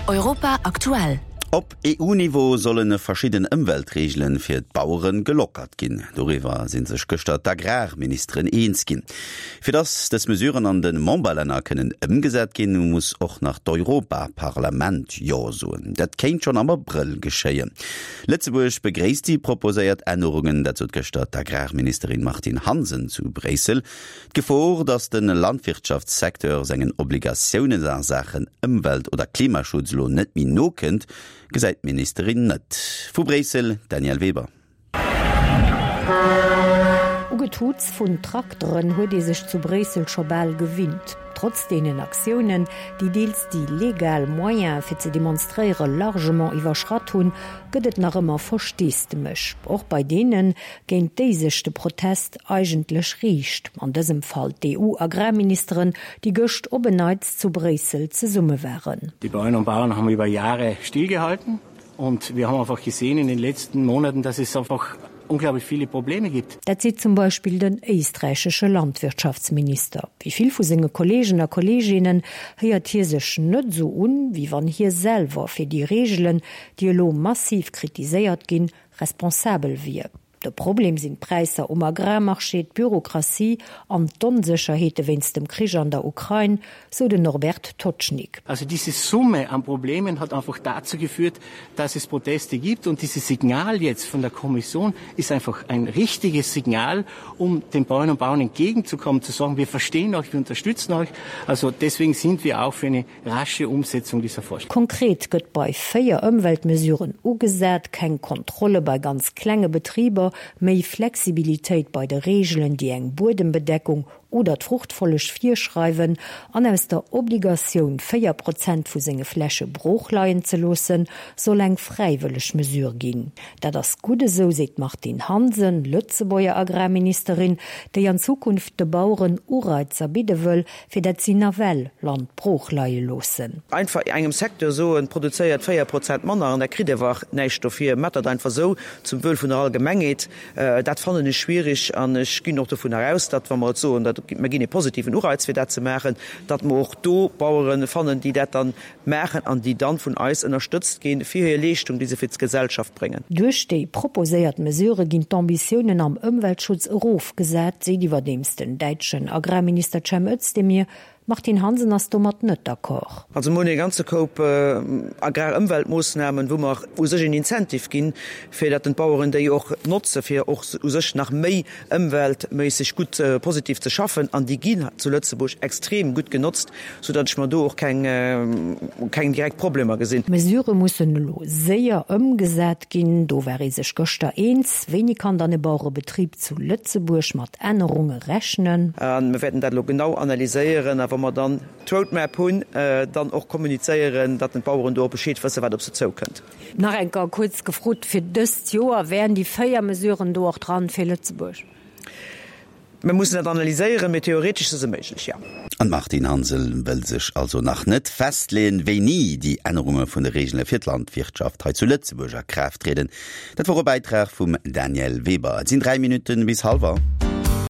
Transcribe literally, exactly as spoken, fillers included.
Europa aktuell. Op EU-Niveau solle verschidden Ëmweltreegele fir d'Bauere gelockert ginn. Doriwwer si sech gëschter d'Agrarministeren eens ginn. Fir datt dës Mesuren an de Memberlänner kënnen ëmgesat ginn, muss och nach d'Europaparlament Jo soen. Dat kéint schonn am Abrëll geschéien. Lëtzebuerg begréisst déi proposéiert Ännerungen, dat sot gëschter d'Agrarministerin Martine Hansen zu Bréissel. D'Gefor, datt de Landwirtschaftssecteur sengen Obligatiounen a Saachen Ëmwelt oder Klimaschutz elo net méi nokënnt, gesäit d'Ministerin net. Vu Bréissel, Danièle Weber. U Getuuts vun Trakteren huet ee sech zu Bréissel scho bal gewinnt. Trotz deenen Aktiounen, déi deels déi legal Moyene fir ze demonstréiere largement iwwerschratt hunn, gëtt et nach ëmmer Versteesdemech. Och bei deenen, géint déi sech de Protest eigentlech riicht, an dësem Fall d'EU-Agrarministeren, déi gëscht op en Neits zu Bréissel zesumme waren. Die Bäuerinnen und Bauern haben über Jahre stillgehalten und wir haben einfach gesehen in den letzten Monaten, dass es einfach unglaublich viele Probleme gibt. Dat seet zum Beispill den éisträichesche Landwirtschaftsminister. Wéi vill vu senge Kolleegen a Kolleeginnen héiert hie sech net esou un, wéi wann hie selwer fir déi Reegelen, déi elo massiv kritiséiert ginn, responsabel wier. De Problem sinn d'Präisser um Agrarmarché, d'Bürokratie an d'Onsécherheete wéinst dem Krich an der Ukrain, sou den Norbert Totschnig. Also diese Summe an Problemen hat einfach dazu geführt, dass es Proteste gibt und dieses Signal jetzt von der Kommission ist einfach ein richtiges Signal, um den Bäuerinnen und Bauern entgegenzukommen, zu sagen, wir verstehen euch, wir unterstützen euch. Also deswegen sind wir auch für eine rasche Umsetzung dieser Vorschläge. Konkret gëtt bei véier Ëmweltmesuren ugesat, keng Kontrolle bei ganz klenge Betriber, méi Flexibilitéit bei de Reegelen, déi eng Buedembedeckung oder d'Fruchtfolleg virschreiwen, an aus der Obligatioun, véier Prozent vu senge Fläche brooch leien ze loossen, soll eng fräiwëlleg Mesure ginn. Dat ass gutt esou, seet d'Martine Hansen, Lëtzebuerger Agrarministerin, déi an Zukunft de Baueren Ureizer bidde wëll, fir dat si nawell Land brooch leie loossen. Einfach engem Secteur soen, produzéiert véier Prozent manner an der kritt ewer näischt dofir, maacht dat einfach esou zum Wuel vun der Allgemengheet, dat fannen ech schwierig an ech ginn och dovunner aus, datt wa mer et soen, datt mer ginn e positiven Ureiz fir dat ze maachen, datt mer och do Bauere fannen, déi dat dann maachen an déi dann vun eis ënnerstëtzt ginn fir hir Leeschtung, déi se fir d'Gesellschaft bréngen. Duerch déi proposéiert Mesurë ginn d'Ambitiounen am Ëmweltschutz erofgesat, seet iwwerdeems den däitschen Agrarminister Cem Özdemir. D'Martine Hansen ass domat net d'accord. Also mer hunn e ganze Koup Agrarëmweltmoossnamen, wou mer u sech en Incentive ginn, fir datt den d'Baueren déi och notze fir och u sech nach méi ëmweltméisseg gutt positiv ze schaffen. An déi ginn zu Lëtzebuerg extrem gutt genotzt, soudatt ech mer do och keng keng direkt Problemer gesinn. D'Mesurë mussen elo séier ëmgesat ginn, do war ee sech gëschter eens. Wéini kann dann e Bauerebetrib zu Lëtzebuerg mat Ännerunge rechnen? A mer wäerten dat elo genau analyséieren a wa mer dann d'Roadmap hunn, dann och kommunizéieren, datt den d'Baueren do och Bescheed wëssen, wat op se zoukënnt. Nach eng Kéier kuerz gefrot, fir dëst Joer, wären déi véier Mesuren do och dran fir Lëtzebuerg? Mir mussen dat analyséieren, mee theoretesch si se méiglech, jo. An d'Martine Hansel wëll sech also nach net festleeën, wéini déi Ännerunge vun de Reegele fir d'Landwirtschaft hei zu Lëtzebuerg a Kraaft trieden. Dat wor e Bäitrag vum Danièle Weber. Et sinn dräi Minutten bis hallwer.